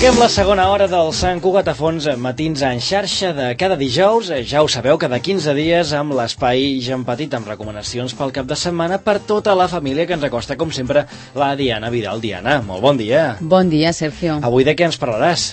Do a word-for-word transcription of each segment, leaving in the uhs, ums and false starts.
Arrenquem la segona hora del Sant Cugat a fons, matins en xarxa de cada dijous. Ja ho sabeu, cada quinze dies amb l'espai Gent Petit, amb recomanacions pel cap de setmana per tota la família, que ens acosta, com sempre, la Diana Vidal. Diana, molt bon dia. Bon dia, Sergio. Avui de què ens parlaràs?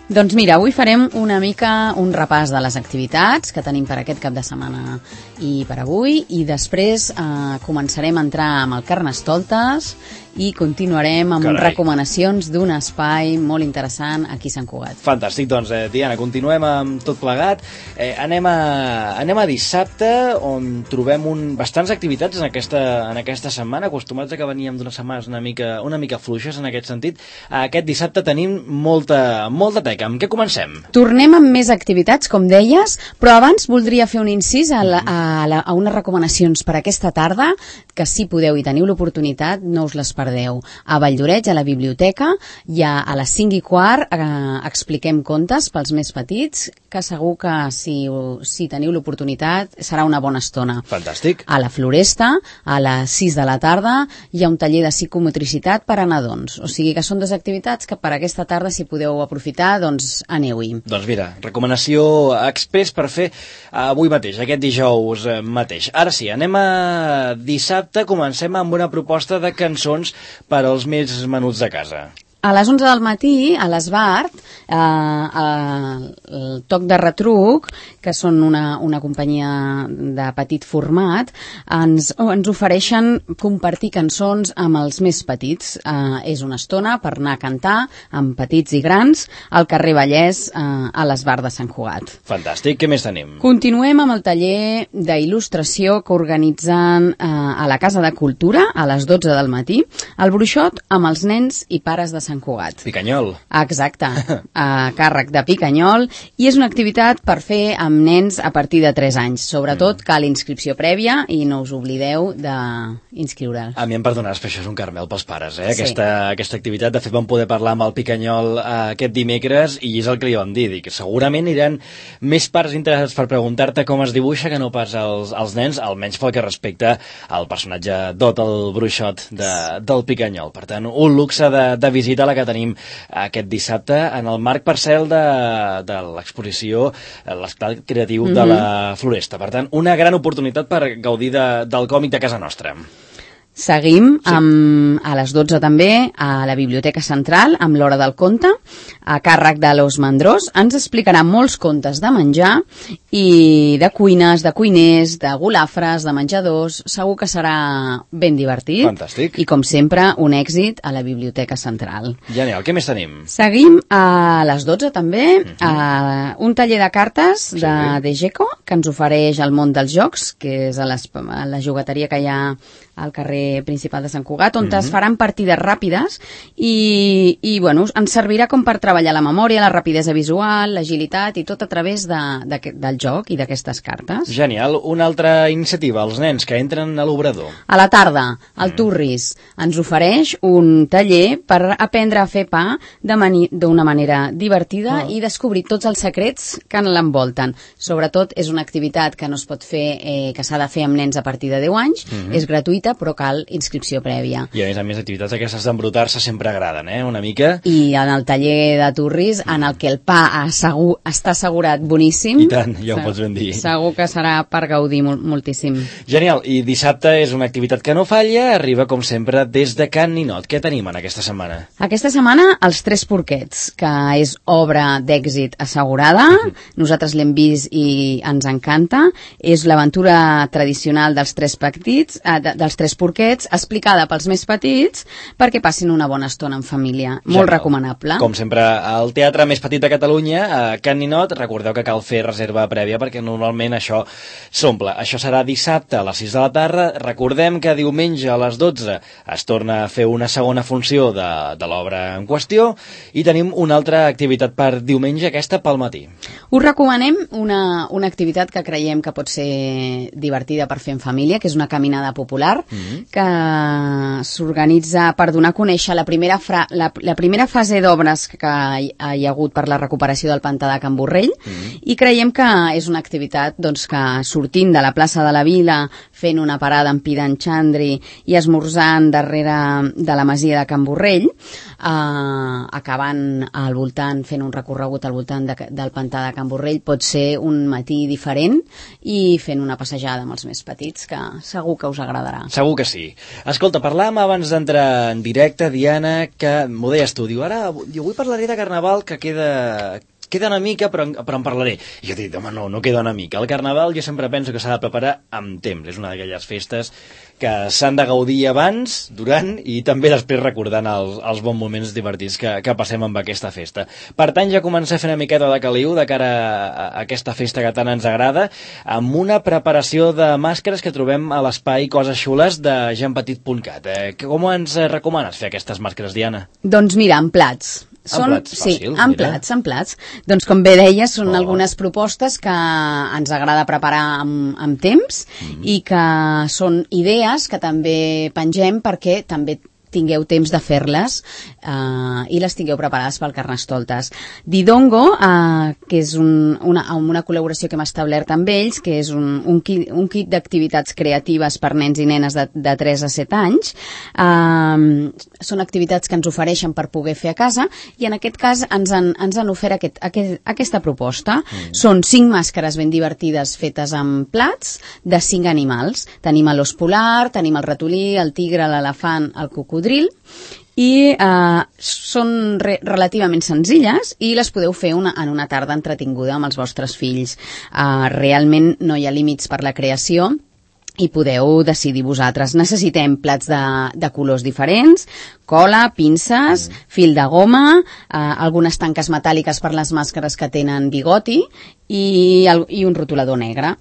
Doncs mira, avui farem una mica un repàs de les activitats que tenim per aquest cap de setmana i per avui, i després eh, començarem a entrar amb el Carnestoltes i continuarem amb Carai. recomanacions d'un espai molt interessant aquí a Sant Cugat. Fantàstic, doncs, eh, Diana, continuem amb tot plegat. Eh, anem, a, anem a dissabte, on trobem un, bastants activitats en aquesta, en aquesta setmana, acostumats a que veníem d'unes setmanes una mica, una mica fluixes en aquest sentit. Aquest dissabte tenim molta, molta teca. Amb què comencem? Tornem amb més activitats, com deies, però abans voldria fer un incís a, la, a, la, a unes recomanacions per aquesta tarda, que si podeu i teniu l'oportunitat, no us les perdeu. A Valldoreix, a la biblioteca, i a, a les cinc i quart eh, expliquem contes pels més petits, que segur que si, si teniu l'oportunitat serà una bona estona. Fantàstic. A la Floresta, a les sis de la tarda, hi ha un taller de psicomotricitat per a nadons. O sigui que són dues activitats que per aquesta tarda, si podeu aprofitar, doncs aneu-hi. Doncs mira, recomanació express per fer avui mateix, aquest dijous mateix. Ara sí, anem a dissabte, comencem amb una proposta de cançons per als més menuts de casa. A les onze del matí, a l'Esbart, eh, eh, el Toc de Retruc, que són una, una companyia de petit format, ens, ens ofereixen compartir cançons amb els més petits. Eh, és una estona per anar a cantar amb petits i grans al carrer Vallès, eh, a l'Esbart de Sant Cugat. Fantàstic, què més tenim? Continuem amb el taller d'il·lustració que organitzen eh, a la Casa de Cultura a les dotze del matí, el bruixot amb els nens i pares de Sant Cugat. Picanyol. Exacte, a càrrec de Picanyol, i és una activitat per fer amb nens a partir de tres anys. Sobretot cal inscripció prèvia i no us oblideu d'inscriure'l. A mi em perdonaràs, però això és un caramel pels pares, eh? Sí. Aquesta, aquesta activitat. De fet, vam poder parlar amb el Picanyol eh, aquest dimecres, i és el que li vam dir, que segurament aniran més pares interessats per preguntar-te com es dibuixa que no pas els, els nens, almenys pel que respecta al personatge Dot, el bruixot de, del Picanyol. Per tant, un luxe de, de visita la que tenim aquest dissabte en el marc parcel de, de l'exposició, l'esclat creatiu mm-hmm. de la Floresta. Per tant, una gran oportunitat per gaudir de, del còmic de casa nostra. Seguim sí. amb, a les dotze també a la Biblioteca Central amb l'Hora del Conte, a càrrec de l'Os Mandrós. Ens explicarà molts contes de menjar i de cuines, de cuiners, de golafres, de menjadors. Segur que serà ben divertit. Fantàstic. I com sempre, un èxit a la Biblioteca Central. Genial, què més tenim? Seguim a les dotze també uh-huh. a un taller de cartes sí. de Degeco, que ens ofereix el món dels jocs, que és a, les, a la jugateria que hi ha al carrer principal de Sant Cugat, on mm-hmm. es faran partides ràpides i, i bueno, ens servirà com per treballar la memòria, la rapidesa visual, l'agilitat i tot a través de, de, del joc i d'aquestes cartes. Genial. Una altra iniciativa, els nens que entren a l'obrador. A la tarda, el mm. Turris ens ofereix un taller per aprendre a fer pa d'una manera divertida oh. i descobrir tots els secrets que l'envolten. Sobretot és una activitat que no es pot fer, eh, que s'ha de fer amb nens a partir de deu anys, mm-hmm. és gratuïta, però cal inscripció prèvia. I a més a més, activitats aquestes d'embrutar-se sempre agraden, eh? Una mica. I en el taller de Turris, en el que el pa assegur, està assegurat boníssim. I tant, ja ho pots ben dir. Segur que serà per gaudir mol, moltíssim. Genial. I dissabte és una activitat que no falla, arriba com sempre des de Can Ninot. Què tenim en aquesta setmana? Aquesta setmana, Els Tres Porquets, que és obra d'èxit assegurada. Mm-hmm. Nosaltres l'hem vist i ens encanta. És l'aventura tradicional dels tres petits, eh, de, dels Tres Porquets, explicada pels més petits perquè passin una bona estona en família. Molt Genial. Recomanable. Com sempre, al teatre més petit de Catalunya, a Can Ninot, recordeu que cal fer reserva prèvia perquè normalment això s'omple. Això serà dissabte a les sis de la tarda. Recordem que diumenge a les dotze es torna a fer una segona funció de, de l'obra en qüestió i tenim una altra activitat per diumenge, aquesta pel matí. Us recomanem una, una activitat que creiem que pot ser divertida per fer en família, que és una caminada popular Escolar, mm-hmm. que s'organitza per donar a conèixer la primera, fra, la, la primera fase d'obres que hi ha, hi ha hagut per la recuperació del pantà de Can Borrell, mm-hmm. i creiem que és una activitat doncs, que sortint de la plaça de la Vila, fent una parada amb Pidan Chandri i esmorzant darrere de la masia de Can Borrell, eh, acabant al voltant, fent un recorregut al voltant de, del pantà de Can Borrell, pot ser un matí diferent i fent una passejada amb els més petits, que segur que us agradarà. Segur que sí. Escolta, parlàvem abans d'entrar en directe, Diana, que m'ho deies tu, diu, ara jo avui parlaré de Carnaval que queda... queda una mica, però, però en parlaré. I jo dic, home, no, no queda una mica. El Carnaval jo sempre penso que s'ha de preparar amb temps. És una d'aquelles festes que s'han de gaudir abans, durant i també després recordant els, els bons moments divertits que, que passem amb aquesta festa. Per tant, ja comencem a fer una miqueta de caliu de cara a, a aquesta festa que tant ens agrada, amb una preparació de màscares que trobem a l'espai Coses Xules de jean petit punt cat. Eh, com ens recomanes fer aquestes màscares, Diana? Doncs mira, amb plats. Són, plats, sí, fàcil, en mira. plats, en plats. Doncs com bé deies, són oh. algunes propostes que ens agrada preparar amb, amb temps mm-hmm. i que són idees que també pengem perquè també tingueu temps de fer-les eh, i les tingueu preparades pel Carnestoltes. Didongo, eh, que és un, una, una col·laboració que hem establert amb ells, que és un, un kit, un kit d'activitats creatives per nens i nenes de, de tres a set anys. Eh, són activitats que ens ofereixen per poder fer a casa i en aquest cas ens han, ens han ofert aquest, aquest, aquesta proposta. Mm. Són cinc màscares ben divertides fetes amb plats de cinc animals. Tenim l'os polar, tenim el ratolí, el tigre, l'elefant, el cocodril, i eh, són re relativament senzilles i les podeu fer una, en una tarda entretinguda amb els vostres fills. Eh, realment no hi ha límits per la creació i podeu decidir vosaltres. Necessitem plats de, de colors diferents, cola, pinces, mm. fil de goma, eh, algunes tanques metàl·liques per les màscares que tenen bigoti i, el, i un rotulador negre.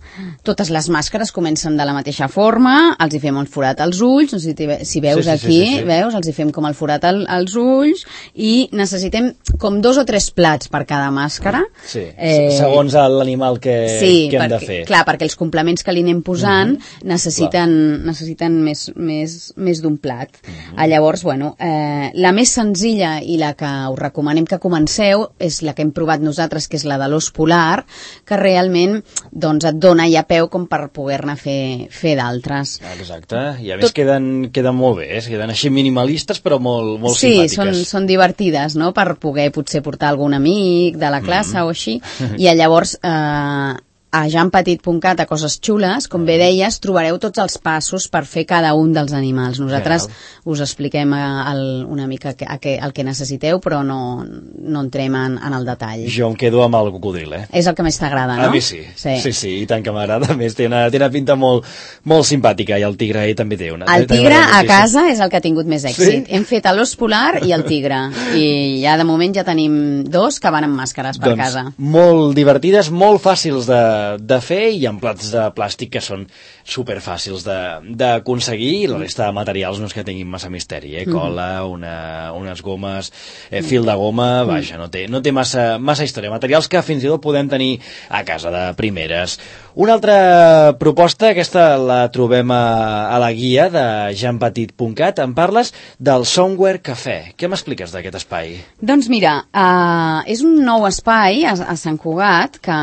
Totes les màscares comencen de la mateixa forma, els hi fem un forat als ulls, no sé si, si veus sí, sí, aquí, sí, sí, sí. veus, els hi fem com el forat al, als ulls i necessitem com dos o tres plats per cada màscara. Sí, eh, segons l'animal que, sí, que hem perquè, de fer. Clar, perquè els complements que li anem posant mm-hmm. necessiten, necessiten més, més, més d'un plat. Mm-hmm. Ah, llavors, bueno, eh, la més senzilla i la que us recomanem que comenceu és la que hem provat nosaltres, que és la de l'os polar, que realment doncs, et dona ja peu com per poder-ne fer, fer d'altres. Exacte, i a més Tot... queden, queden molt bé, eh? Queden així minimalistes però molt, molt sí, simpàtiques. Sí, són, són divertides, no?, per poder potser portar algun amic de la classe mm. o així, i llavors eh, a jean petit punt cat, a Coses Xules, com bé deies, trobareu tots els passos per fer cada un dels animals. Nosaltres Real. us expliquem el, una mica que, que, el que necessiteu, però no, no entrem en, en el detall. Jo em quedo amb el cocodril, eh? És el que més t'agrada, no? A mi sí, sí, sí, sí i tant que m'agrada. A més, té una, té una pinta molt, molt simpàtica, i el tigre ahí també té una. El tigre a casa és el que ha tingut més èxit. Sí? Hem fet l'os polar i el tigre, i ja de moment ja tenim dos que van amb màscares per doncs, casa. Molt divertides, molt fàcils de de fer i amb plats de plàstic que són superfàcils d'aconseguir, i la resta de materials no és que tinguin massa misteri, eh? Cola, una, unes gomes, eh, fil de goma, vaja, no té, no té massa, massa història. Materials que fins i tot podem tenir a casa de primeres. Una altra proposta, aquesta la trobem a, a la guia de jean petit punt cat, en parles del Somewhere Café. Què m'expliques d'aquest espai? doncs mira, uh, és un nou espai a, a Sant Cugat que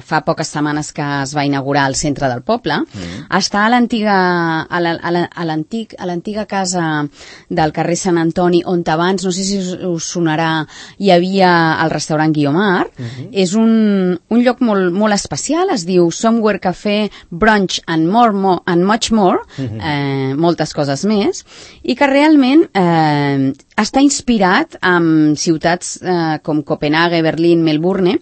fa poques setmanes que es va inaugurar al centre del poble. Mm. Està a l'antiga a l'antic a l'antiga casa del carrer Sant Antoni, on abans, no sé si us, us sonarà, hi havia el restaurant Guiomar. Mm-hmm. És un, un lloc molt, molt especial, es diu Somewhere Café, Brunch and, more, more, and Much More, mm-hmm. eh, moltes coses més, i que realment eh, està inspirat en ciutats eh, com Copenhague, Berlín, Melbourne,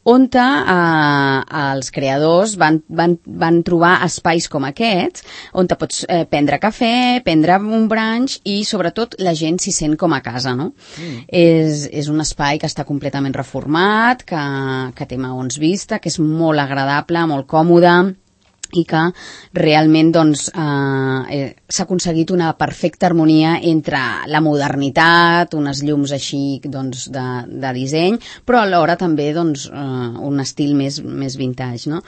on eh, els creadors van, van, van trobar espais com aquests, on te pots eh, prendre cafè, prendre un brunch, i sobretot la gent s'hi sent com a casa, no? Mm. És, és un espai que està completament reformat, que, que té maons vista, que és molt agradable, molt còmode, i que realment doncs, eh, s'ha aconseguit una perfecta harmonia entre la modernitat, unes llums així doncs, de, de disseny, però alhora també doncs, eh, un estil més, més vintage, no?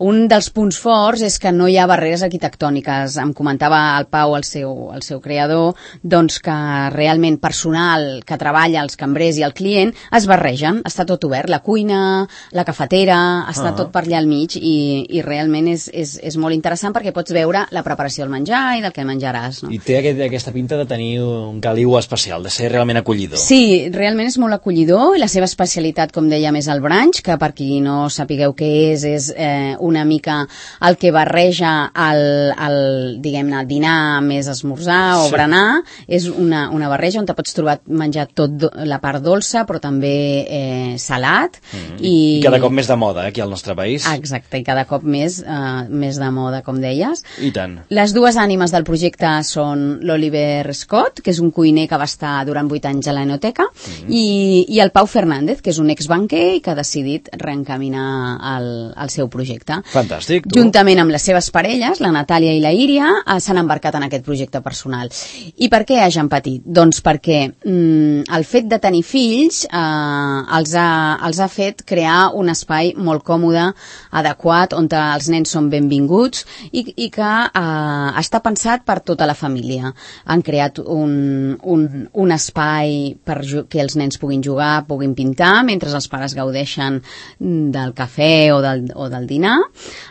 un dels punts forts és que no hi ha barreres arquitectòniques. Em comentava el Pau, el seu, el seu creador, doncs que realment personal que treballa, els cambrers i el client, es barregen, està tot obert, la cuina, la cafetera, està uh-huh. tot per allà al mig i, i realment és, és, és molt interessant perquè pots veure la preparació del menjar i del que menjaràs. No? I té aquest, aquesta pinta de tenir un caliu especial, de ser realment acollidor. Sí, realment és molt acollidor i la seva especialitat, com dèiem, és el brunch, que per qui no sapigueu què és, és eh, una mica el que barreja el, el diguem-ne, dinar més esmorzar o sí. berenar. És una, una barreja on te pots trobar menjar tot do, la part dolça, però també eh, salat. Mm. I, I cada cop més de moda, eh, aquí al nostre país. Exacte, i cada cop més, eh, més de moda, com deies. I tant. Les dues ànimes del projecte són l'Oliver Scott, que és un cuiner que va estar durant vuit anys a l'Enoteca, mm. i, i el Pau Fernández, que és un exbanquer i que ha decidit reencaminar el, el seu projecte. Fantàstic, tu. Juntament amb les seves parelles, la Natàlia i la Íria, s'han embarcat en aquest projecte personal. I per què a Jean Petit? Doncs perquè mm, el fet de tenir fills eh, els, ha, els ha fet crear un espai molt còmode, adequat, on els nens són benvinguts i, i que eh, està pensat per tota la família. Han creat un, un, un espai per que els nens puguin jugar, puguin pintar, mentre els pares gaudeixen del cafè o del, o del dinar.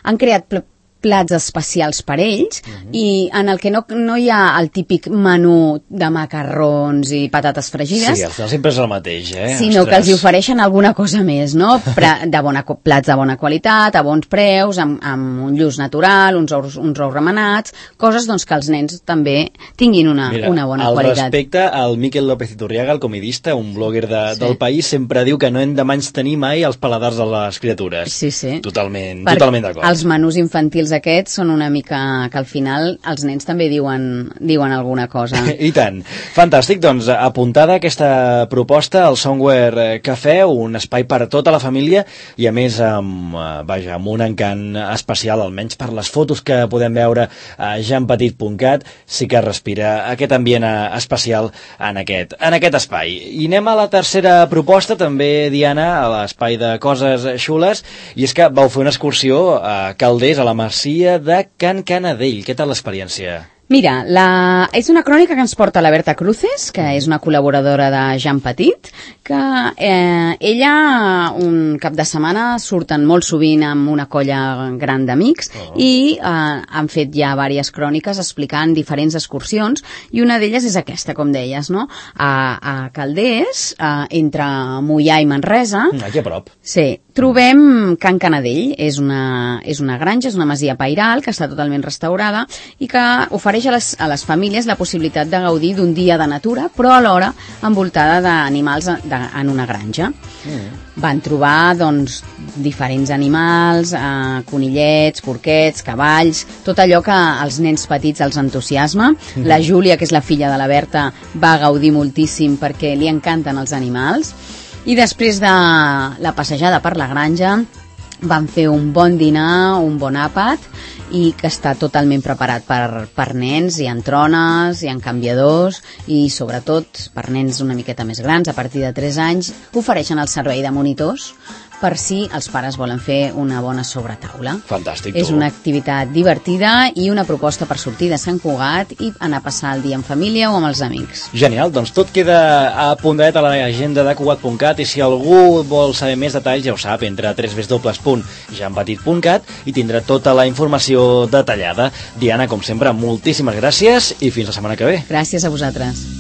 Han creat plats especials per ells uh-huh. i en el que no, no hi ha el típic menú de macarrons i patates fregides. Sí, al final sempre és el mateix, eh? Sinó Ostres. que els hi ofereixen alguna cosa més, no? De bona, plats de bona qualitat, a bons preus, amb, amb un lluç natural, uns ous, uns ous remenats, coses doncs, que els nens també tinguin una, Mira, una bona al qualitat. Respecte, el Miquel López Iturriaga, el comedista, un blogger de, sí. del país, sempre diu que no hem de menystenir mai els paladars de les criatures. Sí, sí. Totalment, per totalment d'acord. Els menús infantils aquests són una mica que al final els nens també diuen, diuen alguna cosa. I tant. Fantàstic, doncs apuntada aquesta proposta al Somewhere Café, un espai per a tota la família i a més amb, vaja, amb un encant especial, almenys per les fotos que podem veure a jean petit punt cat, sí que respira aquest ambient especial en aquest, en aquest espai. I anem a la tercera proposta, també, Diana, a l'espai de coses xules, i és que vau fer una excursió a Calders, a la Masia de Can Canadell. Què tal l'experiència? Mira, la... és una crònica que ens porta la Berta Cruces, que és una col·laboradora de Jean Petit, que eh, ella un cap de setmana surten molt sovint amb una colla gran d'amics oh. i eh, han fet ja diverses cròniques explicant diferents excursions i una d'elles és aquesta, com deies, no? A, a Calders, eh, entre Moià i Manresa. Aquí a prop. Sí, trobem Can Canadell, és una, és una granja, és una masia pairal que està totalment restaurada i que ofereix a les, a les famílies la possibilitat de gaudir d'un dia de natura, però alhora envoltada d'animals de, en una granja. Mm. Van trobar doncs, diferents animals, eh, conillets, porquets, cavalls, tot allò que als nens petits els entusiasma. Mm. La Júlia, que és la filla de la Berta, va gaudir moltíssim perquè li encanten els animals. I després de la passejada per la granja van fer un bon dinar, un bon àpat, i que està totalment preparat per, per nens. Hi ha trones, hi ha canviadors i sobretot per nens una miqueta més grans, a partir de tres anys, ofereixen el servei de monitors per si els pares volen fer una bona sobretaula. Fantàstic. És una activitat divertida i una proposta per sortir de Sant Cugat i anar a passar el dia en família o amb els amics. Genial, doncs tot queda apuntat a l'agenda de cugat punt cat i si algú vol saber més detalls ja ho sap, entra a w w w punt jean petit punt cat i tindrà tota la informació detallada. Diana, com sempre, moltíssimes gràcies i fins la setmana que ve. Gràcies a vosaltres.